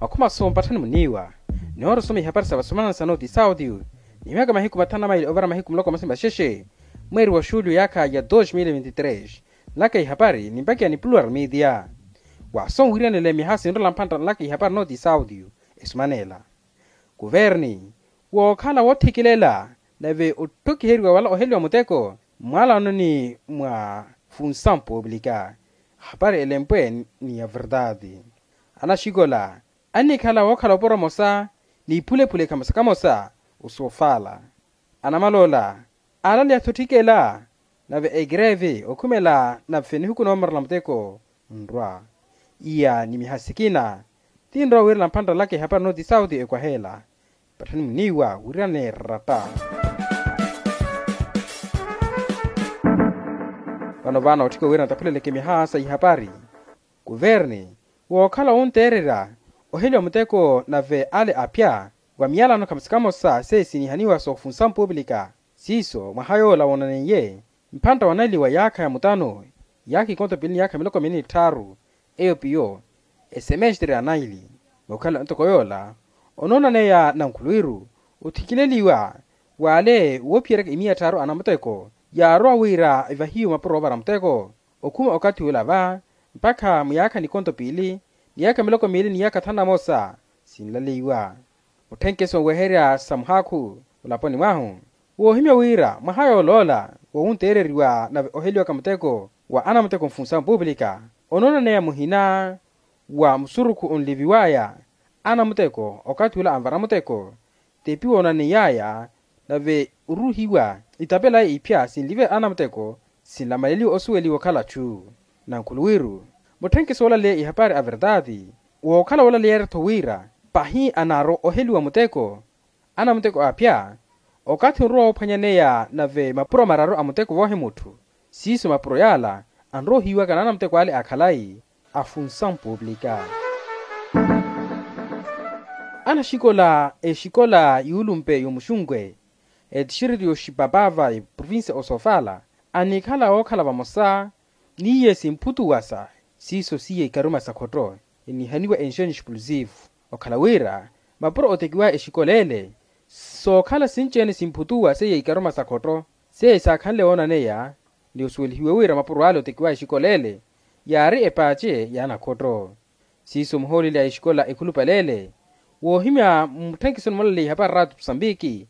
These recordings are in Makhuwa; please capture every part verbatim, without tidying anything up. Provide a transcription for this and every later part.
Makhuma so mpatthani muniiwa, nihoora osoma ihapari sa vasomanana sa noti saudio. Nihimyaka mahiku mathanu na maili ovara mahiku muloko masi maxexe, mweeri wa xuliyo yaakha ya dos mil vinti tres, nlaka ihapari nimpakiya ni plural media. Waaso nwiriyanela mihaasi nrola mphantta nlaka ihapari noti saudio, esomanela kuverni wookhala woothikilela, nave otthokiheriwa wala oheliwa muteko mmwalano ni mwa funsampopulika. Hapari elempwe ni ya verdade. Anaxikola annikhala wookhala oporo mosa ni iphulephule kamosa kamosa osofala. Anamaloola aalaleya-tho otthikela, nave ekreve okhumela nave nihuku noomorela muteko nrwa. Iya ni mihasikina tinrowa wiirela mphantta nlaka ihapari noti sauti ekwaheela. Patthani muniiwa wiriyanela erata. Vano vaana otthika wira ntaphuleleke mihaha sa ihapari. Kuverni wookhala wunteererya oheliwa muteko nave ale aphya wa miyalano kamosa kamosa seisinihaniwa soofunsa mpupilika. Siiso mwaha yoola woonaneiye mphantta wanaliwa yaakha ya mutano yaakha ikonto pili ni yaakha miloko mili ni tthaaru. Eyo piyo esemestre ya naili. Mukhala ntoko yoola onoonaneya nankhuluwiru othikileliwa w'ale woophiyeryaka imiya tthaaru anamuteko yaarowa wira evahiwe mapuro oovara muteko. Okhuma okathi ula va mpakha muyaakha nikonto piili ni yaakha miloko miili ni yaakha thanu na moosa sinlaleiwa. Mutthenkeso nweherya sa muhaakhu mulaponi mwahu woohimya wira mwaha yooloola wowunteereriwa nave oheliwaka muteko wa anamuteko nfunsa mpupilika onoonaneya muhina wa musurukhu onliviwaya anamuteko okathi ula anvara muteko. Tepi woonaneiyaya nave oruuhiwa itapelaya iphya sinlive anamuteko sinlamaleliwa osuweliwa okhala chu. Nankhuluwiru mutthenkeso woolaleya ihapari a verdade wookhala woolaleyerya-tho wira pahi anaaro oheliwa muteko anamuteko aphya okathi onrowa woophwanyaneya nave mapuro mararu a muteko voohimutthu. Siiso mapuro yaala anrowa ohiiwaka n'anamuteko ale a khalayi afunsa mpupilika. Anaxikola exikola yuulumpe y'omuxunkwe etixiriti y'oxipapava eprovincia osofala anikhala wookhala vamosa n'iye simphutuwa sa siiso siiye ikaruma sa khotto enihaniwa enxeni explosivo. Okhala wira mapuro otekiwaya exikola ele sookhala sinci-ene simphutuwa seiye ikaruma sa khotto seiye saakhanle woonaneya ni osuwelihiwe wira mapuro ale otekiwaya exikola ele yaari epaace y'anakhotto. Siiso muhooleli a exikola ekhulupale ele woohimya mutthenkisoni moolaleya ihapari raatu musambiki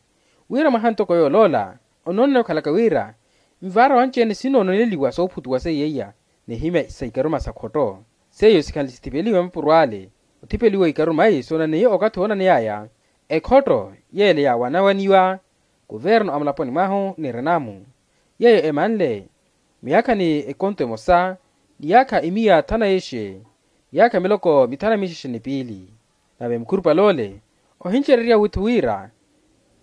wira mwaha ntoko yooloola onoonaneya okhalaka wira nvaara wanci-ene sinoononeliwa soophutuwa seiyeiya nihimya sa ikaruma sa khotto seiyo sikhanle sithipeliwe mapuro ale othipeliwa ikaruma eyi soonaneiye okathi woonaneyaya ekhotto yeele yaawanawaniwa kuverno a mulaponi mwahu ni renamu yeeyo emanle miyakha ni ekonto emosa ni yaakha imiya thanu na ixe ni yaakha miloko mithanu na mixexe ni piili. Nave mukhurupale ole ohincererya witthu wira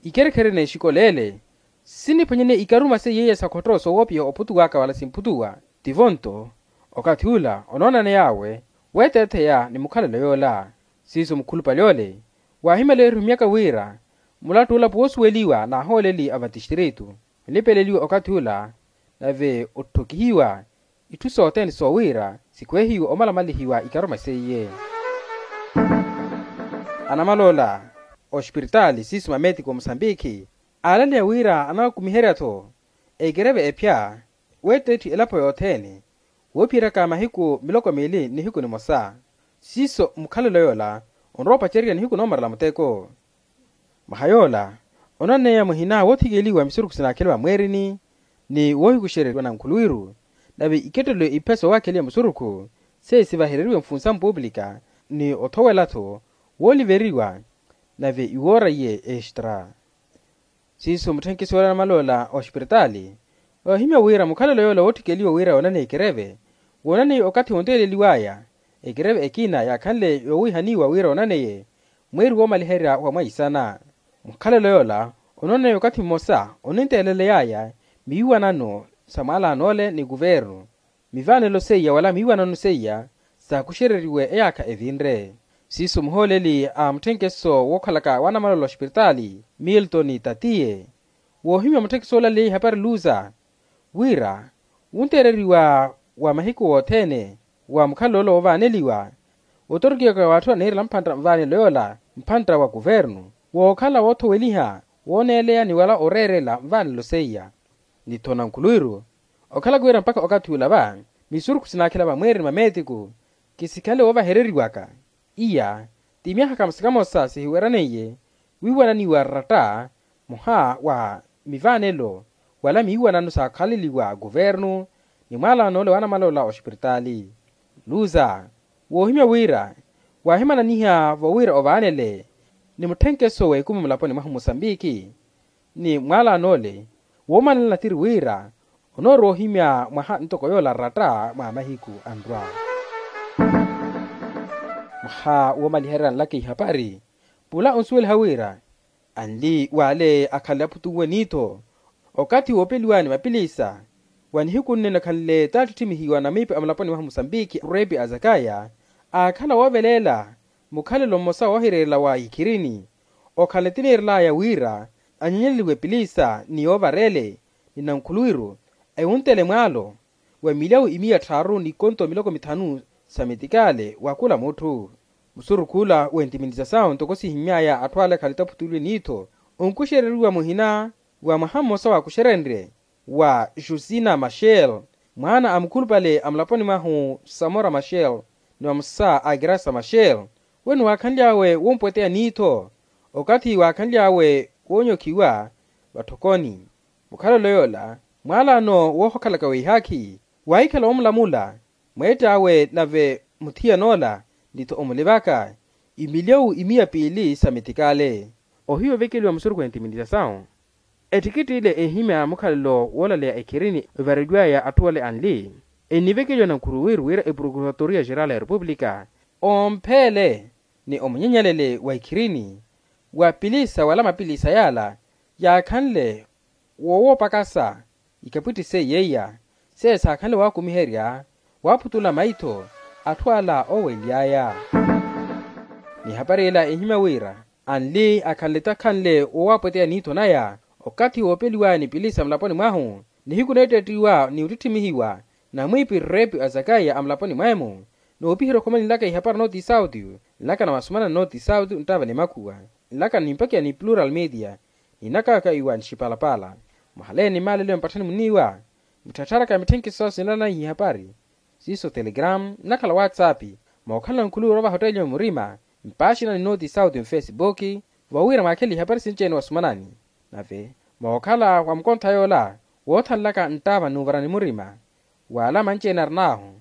ikherekhere n'exikola ele siniphwanyane ikaruma seiyeiya sa khotto soowopiha ophutuwaka wala simphutuwa tivo nto okathi ula onoonaney'awe weetetheya ni mukhalelo yoola. Siiso mukhulupale ole waahimela erihumyaka wira mulattu olapo woosuweliwa n'ahooleli a vatixtiritu onipeleliwa okathi ula nave otthokihiwa itthu sothene soowira sikwehiwe omalamalihiwa ikaruma seiye. Anamaloola oxpiritaali siiso mametiko musambikhi aalaleya wira anawakumiherya-tho ekereve ephya weetteetti elapo yothene woophiyeryaka mahiku miloko miili nihiku nimosa. Siiso mukhalelo yoola onrowa opacererya nihiku noomarela muteko mwaha yoola onaneya muhina woothikeliwa misurukhu sinaakheliwa mweerini ni woohikuxereriwa nankhuluwiru nave ikettelo iphe soowakheliwa musurukhu seiyo sivahereriwe mfunsa mpuupulika ni othowela-tho wooliveriwa nave iwoora iye extra. Siiso mutthenkiso ole anamaloola oxpiritaali oohimya wira mukhalelo yoola wootthikeleliwa wira yoonaneye ekereve woonaneye okathi wonteeleliwaya ekereve ekina yaakhanle yoowihaniwa wira onaneye mweeri woomaliherya wa mwaisana. Mukhalelo yoola ononaneye okathi mmosa oninteeleleyaya miiwanano sa mwalaan'ole ni kuvernu mivaanelo seiya wala miiwanano seiya saakuxereriwe eyaakha evinre. Siiso muhooleli a mutthenkeso wookhalaka wanamaloola oxpiritaali milton tatiye woohimya mutthenkeso oolaleya ihapari luza wira wunteereriwa wa mahiku wothene wa mukhalelo ole woovaaneliwa otorikiyaka w'atthu aniirela mphantta nvaanelo yoola mphantta wa kuvernu wookhala woothoweliha wooneeleya ni wala oreerela nvaanelo seiya. Ni-tho nankhuluwiru okhalaka wira mpakha okathi ula va misurukhu sinaakhela vamweereni mameetiku khisikhanle woovahereriwaka. Iya ti myaha kamosa kamosa sihiweraneiye wiiwananiwa ratta muha wa mivaanelo wala miiwanano saakhaleliwa kuvernu ni mwaalaano ole wa anamwaloola oxipiritaali. Luza woohimya wira waahimananiha vo wira ovaanele ni mutthenkeso w'ekumi mulaponi mwahu musambiki ni mwaalaano ole woomanela natiri wira onoorowa ohimya mwaha ntoko yoola ratta mwa mahiku anrwa. Mwaha woomaliherya nlaka ihapari pula onsuweliha wira anli w'ale akhanle aphutuwe ni-tho okathi woopeliwa ni mapilisa wa nihiku nnene akhanle taattittimihiwa na miipi a mulaponi mwahu musambiki repi a zakaya aakhala wooveleela mukhalelo mmosa woohireerela wa ikhirini okhanle tiniirelaya wira anyenyeleliwe epilisa ni yoovarele ni nankhuluwiru ewuntele mwaalo wa milyawu imiya tthaaru ni konto miloko mithanu sa metikale wa khula mutthu. Musurukhu ula w'entiminisasau ntoko sihimy'aya atthu ale akhalita aphutuliwe ni-tho onkuxereriwa muhina wa mwaha mmosa waakuxerenrye wa jusina machel mwaana a mukhulupale a mulaponi mwahu samora machel ni vamosa a graça machel we niwaakhanly'awe wompweteya ni-tho okathi waakhanly'awe woonyokhiwa vatthokoni. Mukhalelo yoola mwaalaano woohokhalaka weihaakhi waahikhala woomulamula mweett'awe nave muthiyan'ola ni-tho omulivaka imilyawu imiya piili sa metikale. Ohiya ovekeliwa musurukhu w'entiminisasau ettikitti ile ehimya mukhalelo woolaleya ekhirini evareliw'aya atthu ole anli ennivekeliwa nankhuruwiru wira eprokuratoria geral ya repupulika ompheele ni omunyenyelele wa ikhirini wa pilisa wala mapilisa yaala yaakhanle woowopakasa ikapwitti seiya iya seiya saakhanle waakumiherya waaphutula maitho atthu ala oowely'aya. Ni ehapari ela ehimya wira anli akhanle takhanle woowapweteya ni-tho naya okathi woopeliwaya ni pilisa mulaponi mwahu nihiku neettettiwa ni ottittimihiwa na mwiipi repi a zakaya a mulaponi mweemu. Noopiherya okhomani nlaka ihapari north sauti nlaka na wasumana north sauti nttava ni makhuwa nlaka nimpakiya ni plural media ninakaka iwa nxipalapala. Mwahaleeni maalelo ya mpatthani muniiwa mitthattharaka ya mitthenkiso sinanaihi ihapari siiso telegram nnakhala whatsapp mookhala nkhuluwira ovahottelya murima mpaaxina ni north sauti nfesibuki vowira mwaakhele ihapari sinci-ene wasumanani nave mookhala wa mukontha yoola woothanlaka nttaava n'uvarani murima wala manci-ene arin'ahu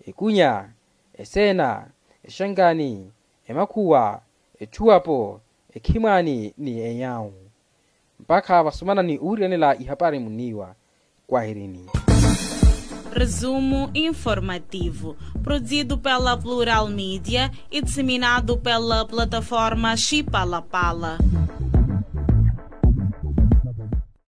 ekunya eseena exankaani emakhuwa echuwapo ekhimwaani ni enyawu mpakha vasumana ni uwiriyanela ihapari muniiwa. Kwahirini. Resumo informativo, produzido pela Plural Media e disseminado pela plataforma Chipalapala.